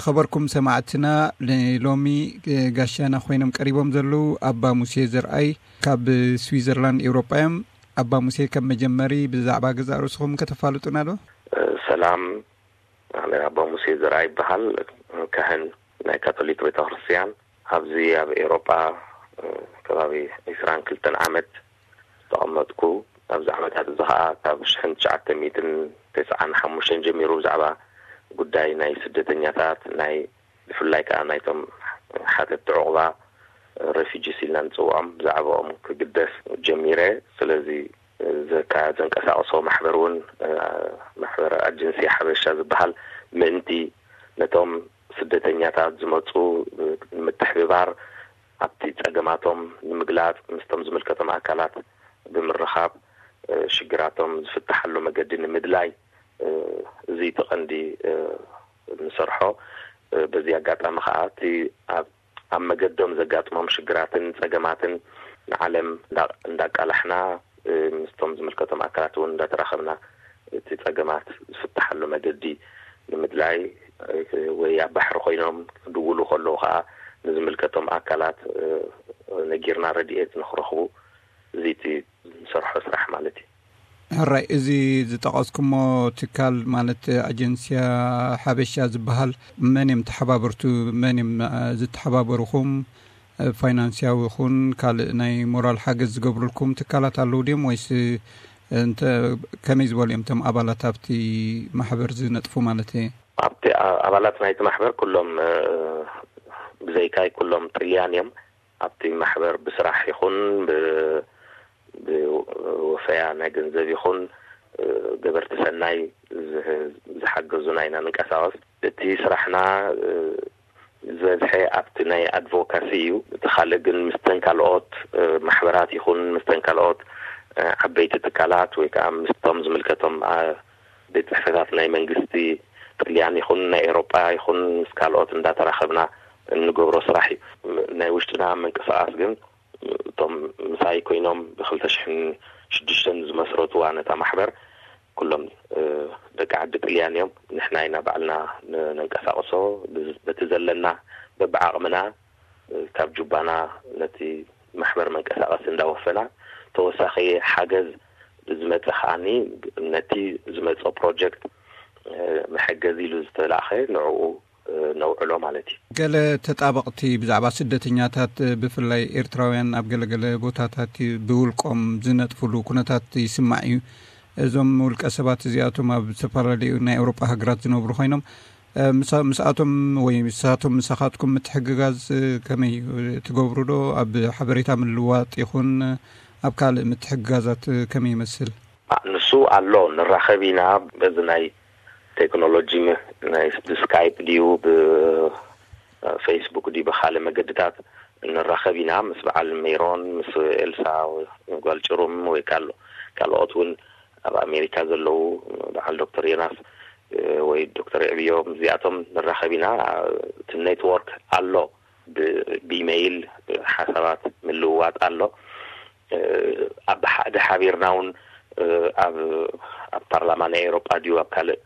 ኸበርኩም ሰማዕትና፣ ንሎሚ ጋሻና ኮይኖም ቀሪቦም ዘለዉ ኣባ ሙሴ ዘርኣይ ካብ ስዊዘርላንድ ኤውሮጳ እዮም። ኣባ ሙሴ፣ ከም መጀመሪ ብዛዕባ ገዛእ ርእስኹም ከተፋልጡና ዶ? ሰላም፣ ኣነ ኣባ ሙሴ ዘርኣይ ይበሃል። ካህን ናይ ካቶሊክ ቤተክርስትያን፣ ኣብዚ ኣብ ኤውሮጳ ከባቢ ዒስራን ክልተን ዓመት ዝተቐመጥኩ፣ ኣብዚ ዓመታት እዚ ኸኣ ካብ ሽሕን ትሽዓተ ሚእትን ተስዓን ሓሙሽተን ጀሚሩ ብዛዕባ ጉዳይ ናይ ስደተኛታት፣ ናይ ብፍላይ ከኣ ናይቶም ሓተትቲ ዕቑባ፣ ሬፊጂስ ኢልና ንጽውዖም፣ ብዛዕባኦም ክግደስ ጀሚረ። ስለዚ ዘካ-፣ ዘንቀሳቕሶ ማሕበር እውን፣ ማሕበር ኣጀንሲ ሓበሻ ዝበሃል፣ ምእንቲ ነቶም ስደተኛታት ዝመጹ ንምትሕብባር፣ ኣብቲ ጸገማቶም ንምግላጽ፣ ምስቶም ዝምልከቶም ኣካላት ብምርኻብ፣ ሽግራቶም ዝፍትሓሉ መገዲ ንምድላይ፣ እዚ እቲ ቀንዲ ንሰርሖ። በዚ ኣጋጣሚ ከኣ እቲ ኣብ፣ ኣብ መገዶም ዘጋጥሞም ሽግራትን ጸገማትን ንዓለም እንዳ-፣ እንዳቃላሕና፣ ምስቶም ዝምልከቶም ኣካላት እውን እንዳተራኸብና እቲ ጸገማት ዝፍትሓሉ መገዲ ንምድላይ፣ ወይ ኣብ ባሕሪ ኮይኖም ክድውሉ ከለዉ ከኣ ንዝምልከቶም ኣካላት ነጊርና ረድኤት ንኽረኽቡ፣ እዚ እቲ ዝሰርሖ ስራሕ ማለት እዩ። ሕራይ፣ እዚ ዝጠቐስኩሞ ትካል ማለት ኣጀንስያ ሓበሻ ዝበሃል መን እዮም ተሓባበርቱ? መን እዮም ዝተሓባበሩኹም? ፋይናንስያዊ ይኹን ካልእ ናይ ሞራል ሓገዝ ዝገብሩልኩም ትካላት ኣለዉ ድዮም? ወይስ እንተ ከመይ ዝበሉ እዮም እቶም ኣባላት ኣብቲ ማሕበር ዝነጥፉ ማለት እየ? ኣብቲ ኣ-፣ ኣባላት ናይቲ ማሕበር ኩሎም፣ እ፣ ብዘይካይ ኩሎም ጥልያን እዮም። ኣብቲ ማሕበር ብስራሕ ይኹን ብ-፣ ብወፈያ ናይ ገንዘብ ይኹን፣ እ፣ ገበርቲ ሰናይ ዝህ-፣ ዝሓገዙና ኢና ንንቀሳቐስ። እቲ ስራሕና፣ እ፣ ዝበዝሐ ኣብቲ ናይ ኣድቮካሲ እዩ። እቲ ካልእ ግን ምስተን ካልኦት፣ እ፣ ማሕበራት ይኹን ምስተን ካልኦት፣ እ፣ ዓበይቲ ትካላት ወይ ከዓ ምስቶም ዝምልከቶም፣ እ፣ ቤት ጽሕፈታት ናይ መንግስቲ ጥልያን ይኹን ናይ ኤውሮጳ ይኹን ምስ ካልኦት እንዳተራኸብና እንገብሮ ስራሕ እዩ። ም-፣ ናይ ውሽጥና ምንቅስቓስ ግን እቶም ምሳይ ኮይኖም ብኽልተ ሽሕን ሽዱሽተን ዝመስረትዋ ነታ ማሕበር ኩሎም፣ እ፣ ደቂ ዓዲ ጥልያን እዮም። ንሕና ኢና ባዕልና ን-፣ ነንቀሳቕሶ። ብ-፣ በቲ ዘለና በብዓቕምና፣ እ፣ ካብ ጁባና ነቲ ማሕበር መንቀሳቐሲ እንዳወፈና፣ ተወሳኺ ሓገዝ ዝመጸ ከኣኒ ነቲ ዝመጸ ፕሮጀክት፣ እ፣ መሐገዚ ኢሉ ዝተላእኸ ንዕኡ ነውዕሎ ማለት እዩ። ገለ ተጣበቕቲ ብዛዕባ ስደተኛታት፣ ብፍላይ ኤርትራውያን፣ ኣብ ገለገለ ቦታታት ብውልቆም ዝነጥፍሉ ኩነታት ይስማዕ እዩ። እዞም ውልቀ ሰባት እዚኣቶም ኣብ ዝተፈላለዩ ናይ ኤውሮጳ ሃገራት ዝነብሩ ኮይኖም፣ እ፣ ምሳ-፣ ምስኣቶም ወይ ምሳቶም ምሳኻትኩም ምትሕግጋዝ፣ እ፣ ከመይ እዩ? ትገብሩ ዶ? ኣብ ሓበሬታ ምልዋጥ ይኹን ኣብ ካልእ ምትሕግጋዛት፣ እ፣ ከመይ ይመስል? ኣ፣ ንሱ ኣሎ፣ ንራኸብ ኢና። በዚ ናይ ቴክኖሎጂ ም-፣ ናይ ብ-፣ ስካይፕ ድዩ፣ ብ-፣ ፌስቡክ ድዩ፣ ብኻልእ መገድታት ንራኸብ ኢና። ምስ በዓል ሜሮን፣ ምስ ኤልሳ ጓል ጭሩም ወይ ካል-፣ ካልኦት እውን ኣብ ኣሜሪካ ዘለዉ፣ በዓል ዶክተር ዮናስ፣ እ፣ ወይ ዶክተር የዕብዮ፣ እዚኣቶም ንራኸብ ኢና። እቲ ኔትወርክ ኣሎ፣ ብ-፣ ብኢሜይል ሓሳባት ምልውዋጥ ኣሎ። እ፣ ኣብ ሓደ ሓቢርና እውን፣ እ፣ ኣብ፣ ኣብ ፓርላማ ናይ ኤውሮጳ ድዩ ኣብ ካልእ፣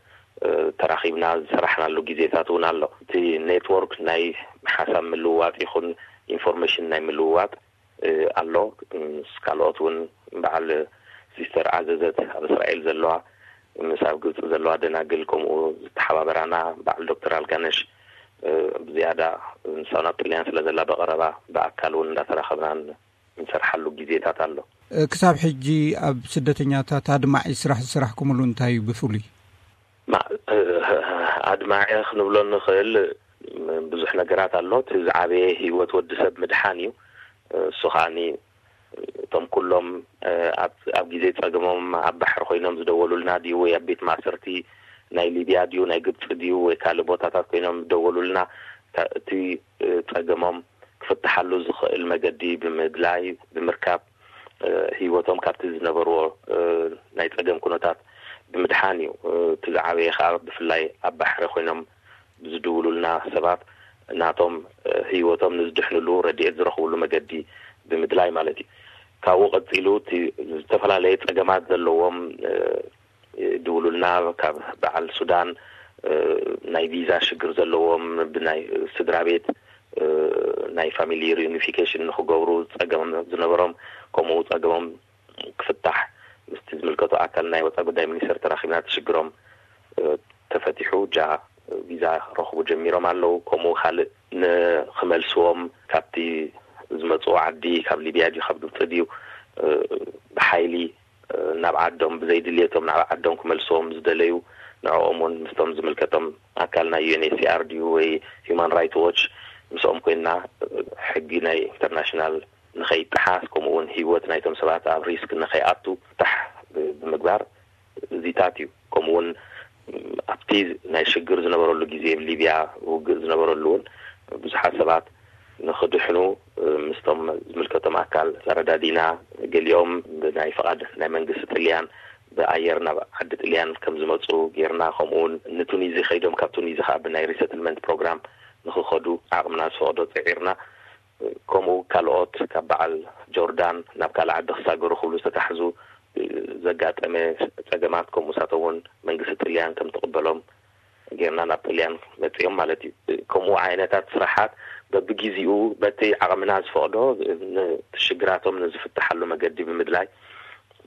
እ፣ ተራኺብና ዝሰራሕናሉ ግዜታት እውን ኣሎ። እቲ ኔትወርክ ናይ ሓሳብ ምልውዋጥ ይኹን ኢንፎርሜሽን ናይ ምልውዋጥ፣ እ፣ ኣሎ። ምስ ካልኦት እውን በዓል ሲስተር ዓዘዘት ኣብ እስራኤል ዘለዋ፣ ምስ ኣብ ግብፂ ዘለዋ ደናግል፣ ከምኡ ዝተሓባበራና በዓል ዶክተር ኣልጋነሽ፣ እ፣ ብዝያዳ ንሳ ናብ ጥልያን ስለ ዘላ ብቐረባ ብኣካል እውን እንዳተራኸብናን እንሰርሓሉ ግዜታት ኣሎ። ክሳብ ሕጂ ኣብ ስደተኛታት ኣድማዒ ስራሕ ዝሰራሕኩምሉ እንታይ እዩ ብፍሉይ? ማ-፣ ኣድማዒ ክንብሎ እንኽእል ብዙሕ ነገራት ኣሎ። እቲ ዝዓበየ ህይወት ወዲ ሰብ ምድሓን እዩ። እሱ ከኣኒ እቶም ኩሎም ኣብ፣ ኣብ ግዜ ጸገሞም ኣብ ባሕሪ ኮይኖም ዝደወሉልና ድዩ ወይ ኣብ ቤት ማእሰርቲ ናይ ሊብያ ድዩ ናይ ግብጺ ድዩ ወይ ካልእ ቦታታት ኮይኖም ዝደወሉልና፣ እታ-፣ እቲ ጸገሞም ክፍትሓሉ ዝኽእል መገዲ ብምድላይ፣ ብምርካብ፣ እ፣ ህይወቶም ካብቲ ዝነበርዎ፣ እ፣ ናይ ጸገም ኩነታት ብምድሓን እዩ። እ፣ እቲ ዝዓበየ ከኣ ብፍላይ ኣብ ባሕሪ ኮይኖም ብዝድውሉልና ሰባት ናቶም፣ እ፣ ህይወቶም ንዝድሕንሉ ረድኤት ዝረኽብሉ መገዲ ብምድላይ ማለት እዩ። ካብኡ ቀጺሉ እቲ ዝተፈላለየ ጸገማት ዘለዎም፣ እ፣ ይድውሉልና። ካብ በዓል ሱዳን፣ እ፣ ናይ ቪዛ ሽግር ዘለዎም፣ ብናይ ስድራ ቤት፣ እ፣ ናይ ፋሚሊ ሪዩኒፊኬሽን ንኽገብሩ ጸገም ዝነበሮም፣ ከምኡ ጸገሞም ክፍታሕ ምስቲ ዝምልከቶ ኣካል ናይ ወጻኢ ጉዳይ ሚኒስተር ተራኺብና፣ እቲ ሽግሮም፣ እ፣ ተፈቲሑ፣ ጃ ቪዛ ረኽቡ ጀሚሮም ኣለዉ። ከምኡ ካልእ ንኽመልስዎም፣ ካብቲ ዝመጽኡ ዓዲ፣ ካብ ሊብያ ድዩ ካብ ግብጺ ድዩ፣ እ፣ ብሓይሊ ናብ ዓዶም፣ ብዘይድልየቶም ናብ ዓዶም ክመልስዎም ዝደለዩ፣ ንዕኦም እውን ምስቶም ዝምልከቶም ኣካል ናይ ዩ ኤን ኤች ሲ ኣር ድዩ ወይ ሂውማን ራይት ዎች ምስኦም ኮይንና፣ ሕጊ ናይ ኢንተርናሽናል ንኸይጠሓስ፣ ከምኡ እውን ህይወት ናይቶም ሰባት ኣብ ሪስክ ንኸይኣቱ ታሕ ብምግባር እዚታት እዩ። ከምኡ እውን ኣብቲ ናይ ሽግር ዝነበረሉ ግዜ፣ ሊብያ ውግእ ዝነበረሉ እውን ብዙሓት ሰባት ንኽድሕኑ ምስቶም ዝምልከቶም ኣካል ተረዳዲና፣ ገሊኦም ብናይ ፍቓድ ናይ መንግስቲ ጥልያን ብኣየር ናብ ዓዲ ጥልያን ከም ዝመፁ ጌርና፣ ከምኡ እውን ንቱኒዚ ከይዶም፣ ካብ ቱኒዚ ከዓ ብናይ ሪሰትልመንት ፕሮግራም ንኽኸዱ ዓቕምና ዝፈቕዶ ፅዒርና። ከምኡ ካልኦት ካብ በዓል ጆርዳን ናብ ካልእ ዓዲ ክሳገሩ ክብሉ ዝተታሕዙ ዘጋጠመ ፀገማት፣ ከምኡ ንሳቶም እውን መንግስቲ ጥልያን ከም ትቕበሎም ጌርና ናብ ጥልያን መፂኦም ማለት እዩ። ከምኡ ዓይነታት ስራሓት በብግዜኡ በቲ ዓቕምና ዝፈቕዶ ንሽግራቶም ንዝፍትሓሉ መገዲ ብምድላይ፣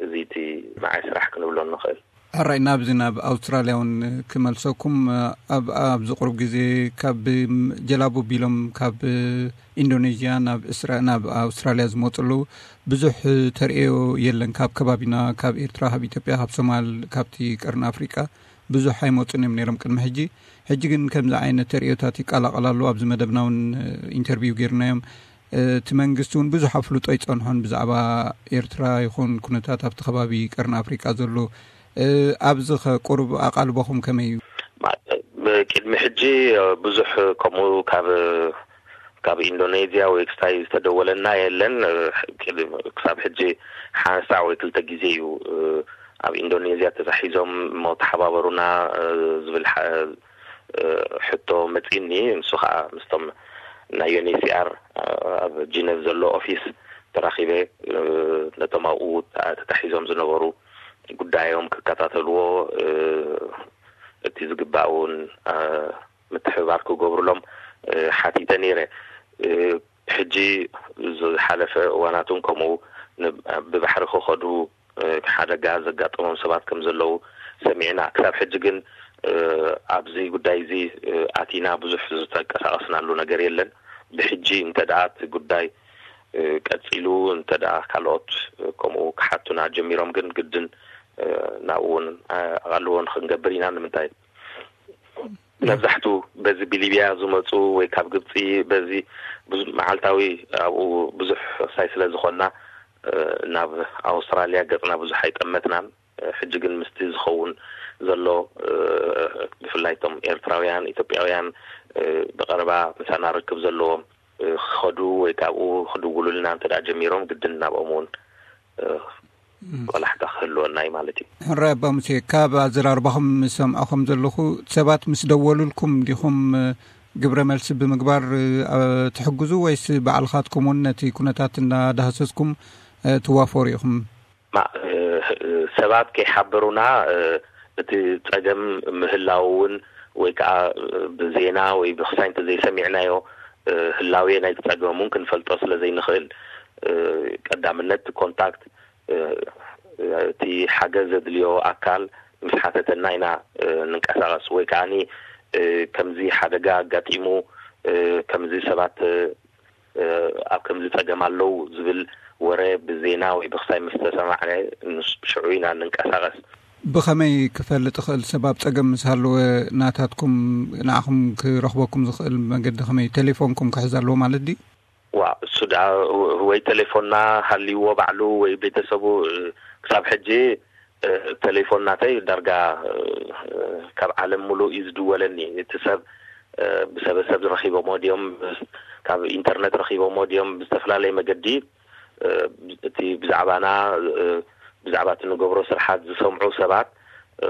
እዚ እቲ ንዓይ ስራሕ ክንብሎ ንኽእል። ሕራይ፣ ናብዚ ናብ ኣውስትራልያ እውን ክመልሰኩም። ኣብ ኣብዚ ቁሩብ ግዜ ካብ ጀላቡ ቢሎም ካብ ኢንዶኔዥያ ናብ እስራ-፣ ናብ ኣውስትራልያ ዝመፁ ኣለዉ። ብዙሕ ተርእዮ የለን። ካብ ከባቢና፣ ካብ ኤርትራ፣ ካብ ኢትዮጵያ፣ ካብ ሶማል፣ ካብቲ ቀርኒ ኣፍሪቃ ብዙሕ ኣይመፁን እዮም ነይሮም ቅድሚ ሕጂ። ሕጂ ግን ከምዚ ዓይነት ተርእዮታት ይቀላቐል ኣሎ። ኣብዚ መደብና እውን ኢንተርቪው ጌርናዮም። እቲ መንግስቲ እውን ብዙሕ ኣፍልጦ ኣይጸንሖን ብዛዕባ ኤርትራ ይኹን ኩነታት ኣብቲ ከባቢ ቀርኒ ኣፍሪቃ ዘሎ። እ፣ ኣብዚ ኸ ቁሩብ ኣቓልቦኹም ከመይ እዩ? ማ-፣ ቅድሚ ሕጂ ብዙሕ ከምኡ ካብ፣ ካብ ኢንዶኔዝያ ወይ ክስታይ ዝተደወለና የለን። ቅድ-፣ ክሳብ ሕጂ ሓንሳዕ ወይ ክልተ ግዜ እዩ፣ እ፣ ኣብ ኢንዶኔዝያ ተታሒዞም እሞ ተሓባበሩና፣ እ፣ ዝብል ሓ-፣ እ፣ ሕቶ መጺእኒ። ንሱ ኸኣ ምስቶም ናይ ዩ ኤን ኤች ሲ ኣር ኣብ ጂነቭ ዘሎ ኦፊስ ተራኺበ፣ እ፣ ነቶም ኣብኡ ተ-፣ ተታሒዞም ዝነበሩ ጉዳዮም ክከታተልዎ፣ እ፣ እቲ ዝግባእ እውን፣ እ፣ ምትሕብባር ክገብሩሎም፣ እ፣ ሓቲተ ነይረ። እ፣ ሕጂ ዝሓለፈ እዋናት እውን ከምኡ ን-፣ ብባሕሪ ክኸዱ፣ እ፣ ሓደጋ ዘጋጠሞም ሰባት ከም ዘለዉ ሰሚዕና። ክሳብ ሕጂ ግን፣ እ፣ ኣብዚ ጉዳይ እዚ፣ እ፣ ኣቲና ብዙሕ ዝተንቀሳቐስናሉ ነገር የለን። ብሕጂ እንተ ደኣ እቲ ጉዳይ፣ እ፣ ቀጺሉ፣ እንተ ደኣ ካልኦት፣ እ፣ ከምኡ ክሓቱና ጀሚሮም ግን ግድን፣ እ፣ ናብኡ እውን፣ እ፣ ኣቓልቦ ንኽንገብር ኢና። ንምንታይ? መብዛሕቱ በዚ ብሊብያ ዝመፁ ወይ ካብ ግብፂ በዚ ብዙ መዓልታዊ ኣብኡ ብዙሕ ክሳይ ስለ ዝኾንና፣ እ፣ ናብ ኣውስትራልያ ገፅና ብዙሕ ኣይጠመትናን። እ፣ ሕጂ ግን ምስቲ ዝኸውን ዘሎ፣ እ፣ ብፍላይ እቶም ኤርትራውያን፣ ኢትዮጵያውያን፣ እ፣ ብቐረባ ምሳና ርክብ ዘለዎም፣ እ፣ ክኸዱ ወይ ካብኡ ክድውሉልና እንተ ደኣ ጀሚሮም ግድን ናብኦም እውን፣ እ፣ ም። ቆላሕታ ክህልወና እዩ ማለት እዩ። ሕራይ ኣባ ሙሴ፣ ካብ ኣዘራርባኹም ዝሰምዖ ከም ዘለኹ፣ ሰባት ምስ ደወሉልኩም ዲኹም፣ እ፣ ግብረ መልሲ ብምግባር፣ እ፣ ኣ-፣ ትሕግዙ ወይስ ባዕልኻትኩም እውን ነቲ ኩነታት እናዳህሰስኩም፣ እ፣ ትዋፈሩ ኢኹም? ማ-፣ እ፣ ሰባት ከይሓበሩና፣ እ፣ እቲ ጸገም ምህላው እውን ወይ ከኣ፣ እ፣ ብዜና ወይ ብኽሳይ እንተዘይሰሚዕናዮ፣ እ፣ ህላዌ ናይቲ ጸገም እውን ክንፈልጦ ስለ ዘይንኽእል፣ እ፣ ቀዳምነት ኮንታክት፣ እ፣ እቲ ሓገዝ ዘድልዮ ኣካል ምስ ሓተተና ኢና፣ እ፣ ንንቀሳቐስ። ወይ ከኣኒ፣ እ፣ ከምዚ ሓደጋ ኣጋጢሙ፣ እ፣ ከምዚ ሰባት፣ እ፣ ኣብ ከምዚ ጸገም ኣለዉ ዝብል ወረ ብዜና ወይ ብኽሳይ ምስ ተሰማዕነ፣ ንስ-፣ ሽዑ ኢና ንንቀሳቐስ። ብኸመይ ክፈልጥ እኽእል? ሰብ ኣብ ጸገም ምስ ሃለወ ናታትኩም፣ ንዓኹም ክረኽበኩም ዝኽእል መገዲ ከመይ? ቴሌፎንኩም ክሕዝ ኣለዎ ማለት ድዩ? ዋ፣ እሱ ደኣ ወይ ቴሌፎንና ሃልይዎ ባዕሉ ወይ ቤተሰቡ፣ እ፣ ክሳብ ሕጂ፣ እ፣ ቴሌፎን ናተይ ዳርጋ፣ እ፣ ካብ ዓለም ሙሉእ እዩ ዝድወለኒ። እቲ ሰብ፣ እ፣ ብሰበሰብ ረኺቦሞ ድዮም፣ ካብ ኢንተርነት ረኺቦሞ ድዮም፣ ብዝተፈላለየ መገዲ፣ እ፣ እቲ ብዛዕባና፣ እ፣ ብዛዕባ እቲ ንገብሮ ስርሓት ዝሰምዑ ሰባት፣ እ፣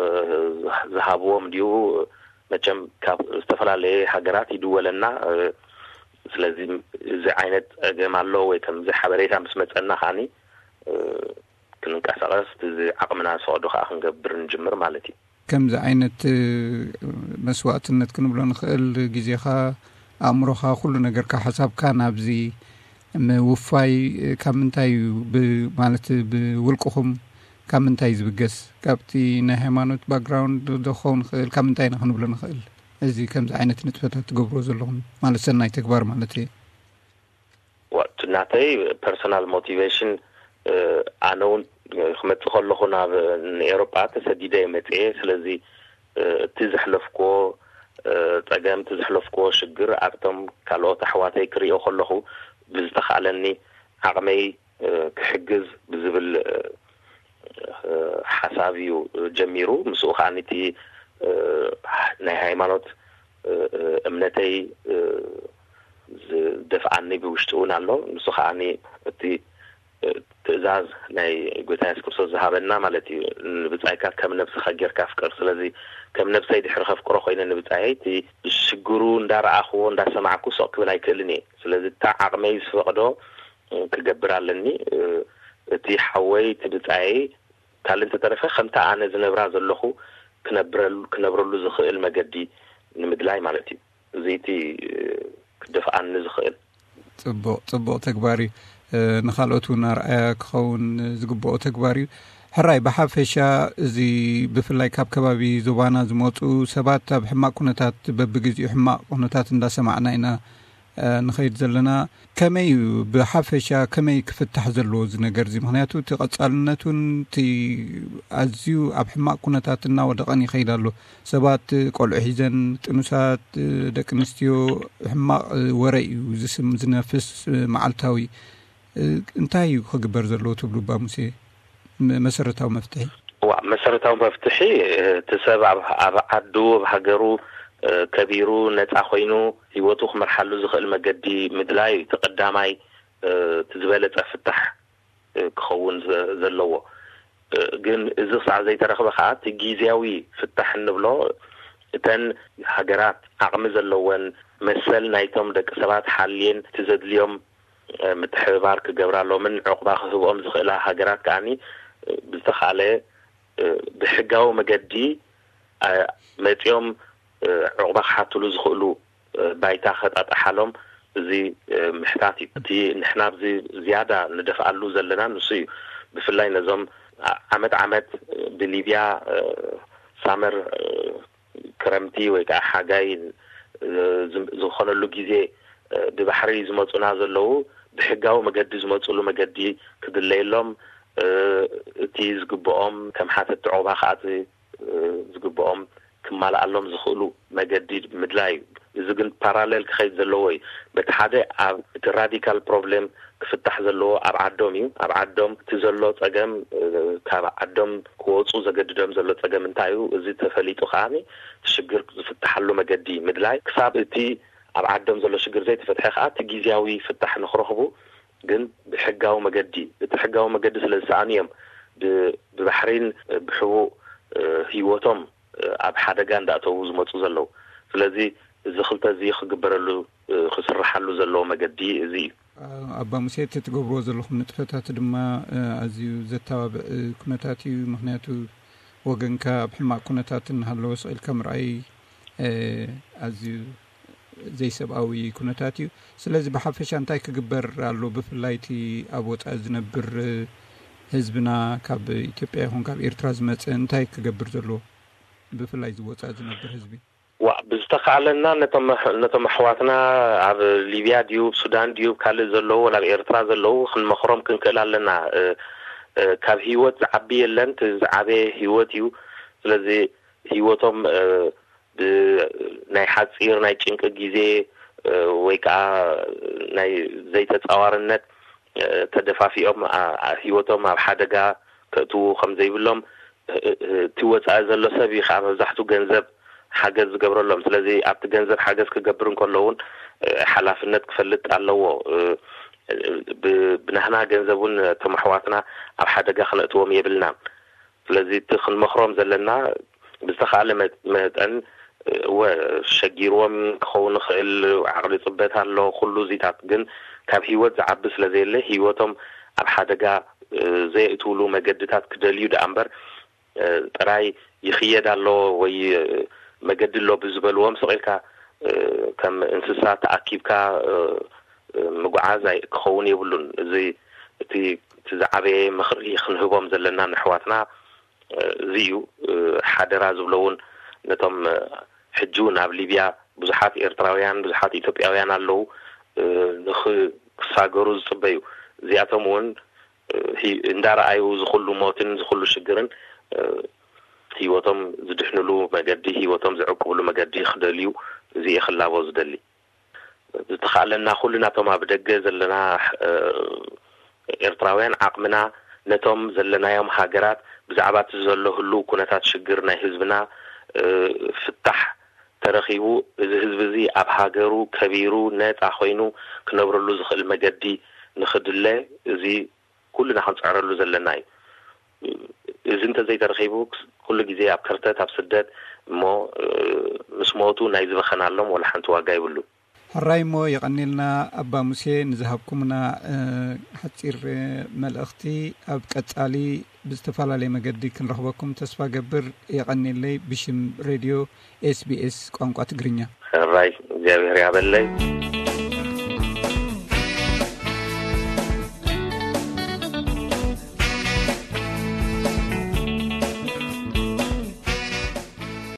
ዝሃብዎም ድዩ፣ መቸም ካብ ዝተፈላለየ ሃገራት ይድወለና። እ፣ ስለዚ እዚ ዓይነት ጸገም ኣሎ ወይ ከምዚ ሓበሬታ ምስ መጸና ከኣኒ፣ እ፣ ክንንቀሳቐስ፣ እዚ ዓቕምና ዝፈቕዶ ከኣ ክንገብር ንጅምር ማለት እዩ። ከምዚ ዓይነት መስዋእትነት ክንብሎ ንኽእል፣ ግዜኻ፣ ኣእምሮኻ፣ ኩሉ ነገርካ፣ ሓሳብካ ናብዚ ምውፋይ ካብ ምንታይ እዩ? ማለት ብውልቅኹም ካብ ምንታይ እዩ ዝብገስ? ካብቲ ናይ ሃይማኖት ባክግራውንድ ዶ ክኸውን ይኽእል? ካብ ምንታይ ኢና ክንብሎ ንኽእል? እዚ ከምዚ ዓይነት ንጥፈታት ትገብርዎ ዘለኹም ማለት ሰናይ ተግባር ማለት እየ። ናተይ ፐርሶናል ሞቲቬሽን፣ ኣነ እውን ክመፅእ ከለኹ ናብ ንኤሮጳ ተሰዲደ እየ መፅኤ። ስለዚ እቲ ዘሕለፍክዎ ፀገም፣ እቲ ዘሕለፍክዎ ሽግር ኣብቶም ካልኦት ኣሕዋተይ ክሪኦ ከለኹ ብዝተኻእለኒ ዓቕመይ ክሕግዝ ብዝብል ሓሳብ እዩ ጀሚሩ። ምስኡ ከዓ እቲ ናይ ሃይማኖት እምነተይ ዝደፍኣኒ ብውሽጢ እውን ኣሎ። ንሱ ከዓ እቲ ትእዛዝ ናይ ጎይታ የሱስ ክርስቶስ ዝሃበና ማለት እዩ። ንብጻይካ ከም ነብስኻ ጌርካ ኣፍቅር። ስለዚ ከም ነብሰይ ድሕሪ ከፍቅሮ ኮይነ ንብጻየይ እቲ ሽግሩ እንዳረኣኽዎ እንዳሰማዕኩ ስቕ ክብል ኣይክእልን እየ። ስለዚ እታ ዓቕመይ ዝፈቕዶ ክገብር ኣለኒ። እቲ ሓወይ እቲ ብጻየይ ካልእ እንተተረፈ ከምታ ኣነ ዝነብራ ዘለኹ ክነብረሉ ክነብረሉ ዝኽእል መገዲ ንምድላይ ማለት እዩ። እዚ እቲ ክደፍኣኒ ዝኽእል። ጽቡቕ ጽቡቕ ተግባር እዩ። ንኻልኦት እውን ኣርኣያ ክኸውን ዝግብኦ ተግባር እዩ። ሕራይ ብሓፈሻ እዚ ብፍላይ ካብ ከባቢ ዞባና ዝመፁ ሰባት ኣብ ሕማቕ ኩነታት በብግዜኡ ሕማቕ ኩነታት እንዳሰማዕና ኢና ንኸይድ ዘለና። ከመይ እዩ ብሓፈሻ ከመይ ክፍታሕ ዘለዎ እዚ ነገር እዚ? ምክንያቱ እቲ ቀጻልነቱን እቲ ኣዝዩ ኣብ ሕማቕ ኩነታት እናወደቐን ይኸይድ ኣሎ። ሰባት ቆልዑ ሒዘን ጥኑሳት ደቂ ኣንስትዮ ሕማቕ ወረ እዩ ዝስም ዝነፍስ መዓልታዊ። እንታይ እዩ ክግበር ዘለዎ ትብሉ ባ ሙሴ? መሰረታዊ መፍትሒ ዋ መሰረታዊ መፍትሒ እቲ ሰብ ኣብ ዓዱ ኣብ ሃገሩ ከቢሩ ነፃ ኮይኑ ህይወቱ ክመርሓሉ ዝኽእል መገዲ ምድላይ እዩ። እቲ ቀዳማይ እቲ ዝበለፀ ፍታሕ ክኸውን ዘለዎ። ግን እዚ ክሳዕ ዘይተረኽበ ከዓ እቲ ግዜያዊ ፍታሕ እንብሎ እተን ሃገራት ዓቕሚ ዘለወን መሰል ናይቶም ደቂ ሰባት ሓልየን እቲ ዘድልዮም ምትሕብባር ክገብራሎምን ዕቑባ ክህብኦም ዝኽእላ ሃገራት ከዓኒ ብዝተኻለ ብሕጋዊ መገዲ መፂኦም ዕቑባ ክሓትሉ ዝኽእሉ ባይታ ከጣጥሓሎም እዚ ምሕታት እዩ። እቲ ንሕና ኣብዚ ዝያዳ ንደፍኣሉ ዘለና ንሱ እዩ። ብፍላይ ነዞም ዓመት ዓመት ብሊብያ ሳመር ክረምቲ ወይ ከዓ ሓጋይ ዝኾነሉ ግዜ ብባሕሪ ዝመፁና ዘለዉ ብሕጋዊ መገዲ ዝመፅሉ መገዲ ክድለየሎም እቲ ዝግብኦም ከም ሓተቲ ዕቑባ ከዓ ዝግብኦም ክማልኣሎም ዝኽእሉ መገዲ ምድላይ እዩ። እዚ ግን ፓራሌል ክኸይድ ዘለዎ እዩ። በቲ ሓደ ኣብ እቲ ራዲካል ፕሮብሌም ክፍታሕ ዘለዎ ኣብ ዓዶም እዩ። ኣብ ዓዶም እቲ ዘሎ ፀገም ካብ ዓዶም ክወፁ ዘገድዶም ዘሎ ፀገም እንታይ እዩ? እዚ ተፈሊጡ ከዓ ሽግር ዝፍትሓሉ መገዲ ምድላይ ክሳብ እቲ ኣብ ዓዶም ዘሎ ሽግር ዘይተፈትሐ ከዓ እቲ ግዜያዊ ፍታሕ ንክረኽቡ ግን ብሕጋዊ መገዲ እቲ ሕጋዊ መገዲ ስለ ዝሰኣኑ እዮም ብባሕሪን ብሕቡእ ህይወቶም ኣብ ሓደጋ እንዳእተዉ ዝመፁ ዘለዉ። ስለዚ እዚ ክልተ እዚ ክግበረሉ ክስርሓሉ ዘለዎ መገዲ እዚ እዩ። ኣባ ሙሴ እቲ ትገብርዎ ዘለኹም ንጥፈታት ድማ ኣዝዩ ዘተባብዕ ኩነታት እዩ። ምክንያቱ ወገንካ ኣብ ሕማቕ ኩነታት እናሃለወ ስቕ ኢልካ ምርኣይ ኣዝዩ ዘይሰብኣዊ ኩነታት እዩ። ስለዚ ብሓፈሻ እንታይ ክግበር ኣሎ? ብፍላይ እቲ ኣብ ወፃኢ ዝነብር ህዝብና ካብ ኢትዮጵያ ይኹን ካብ ኤርትራ ዝመፀ እንታይ ክገብር ዘለዎ? ብፍላይ እዚ ወፃኢ ዝነብር ህዝቢ ዋ ብዝተኻእለና ነቶም ኣሕዋትና ኣብ ሊብያ ድዩ ሱዳን ድዩ ካልእ ዘለዉ ናብ ኤርትራ ዘለዉ ክንመኽሮም ክንክእል ኣለና። ካብ ህይወት ዝዓቢ የለን። ዝዓበየ ህይወት እዩ። ስለዚ ህይወቶም ናይ ሓፂር ናይ ጭንቂ ግዜ ወይ ከዓ ናይ ዘይተፃዋርነት ተደፋፊኦም ህይወቶም ኣብ ሓደጋ ከእትዉ ከም ዘይብሎም እቲ ወፃኢ ዘሎ ሰብ እዩ ከዓ መብዛሕትኡ ገንዘብ ሓገዝ ዝገብረሎም። ስለዚ ኣብቲ ገንዘብ ሓገዝ ክገብር እንከሎ እውን ሓላፍነት ክፈልጥ ኣለዎ። ብናህና ገንዘብ እውን እቶም ኣሕዋትና ኣብ ሓደጋ ክነእትዎም የብልናን። ስለዚ እቲ ክንመኽሮም ዘለና ብዝተኻእለ መጠን እወ ሸጊርዎም ክኸውን ይኽእል፣ ዓቕሊ ፅበት ኣሎ፣ ኩሉ እዚታት ግን ካብ ህይወት ዝዓቢ ስለዘየለ ህይወቶም ኣብ ሓደጋ ዘየእትውሉ መገድታት ክደልዩ ደኣ እምበር ጥራይ ይኽየድ ኣሎ ወይ መገዲ ኣሎ ብዝበልዎም ስቕ ኢልካ ከም እንስሳ ተኣኪብካ ምጉዓዝ ክኸውን የብሉን። እዚ እቲ ዝዓበየ ምኽሪ ክንህቦም ዘለና ንኣሕዋትና እዚ እዩ። ሓደራ ዝብሎ እውን ነቶም ሕጂ እውን ኣብ ሊብያ ብዙሓት ኤርትራውያን ብዙሓት ኢትዮጵያውያን ኣለዉ፣ ንኽሳገሩ ዝፅበዩ። እዚኣቶም እውን እንዳረኣዩ ዝኹሉ ሞትን ዝኹሉ ሽግርን ህይወቶም ዝድሕንሉ መገዲ፣ ህይወቶም ዝዕቅብሉ መገዲ ክደልዩ፣ እዚ እየ ክላቦ ዝደሊ። ዝተኻእለና ኩሉ ናቶም ኣብ ደገ ዘለና ኤርትራውያን ዓቕምና ነቶም ዘለናዮም ሃገራት ብዛዕባ እቲ ዘሎ ህሉ ኩነታት ሽግር ናይ ህዝብና ፍታሕ ተረኺቡ፣ እዚ ህዝቢ እዚ ኣብ ሃገሩ ከቢሩ ነፃ ኮይኑ ክነብረሉ ዝኽእል መገዲ ንኽድለ፣ እዚ ኩልና ክንፅዕረሉ ዘለና እዩ። እዚ እንተዘይተረኺቡ፣ ኩሉ ግዜ ኣብ ከርተት ኣብ ስደት እሞ ምስ ሞቱ ናይ ዝበኸናሎም ወላ ሓንቲ ዋጋ ይብሉ። ሕራይ እሞ የቐኒልና ኣባ ሙሴ ንዝሃብኩምና ሓፂር መልእኽቲ። ኣብ ቀፃሊ ብዝተፈላለየ መገዲ ክንረኽበኩም ተስፋ ገብር። የቐኒለይ ብሽም ሬድዮ ኤስቢኤስ ቋንቋ ትግርኛ። ሕራይ እግዚኣብሔር ያበለይ።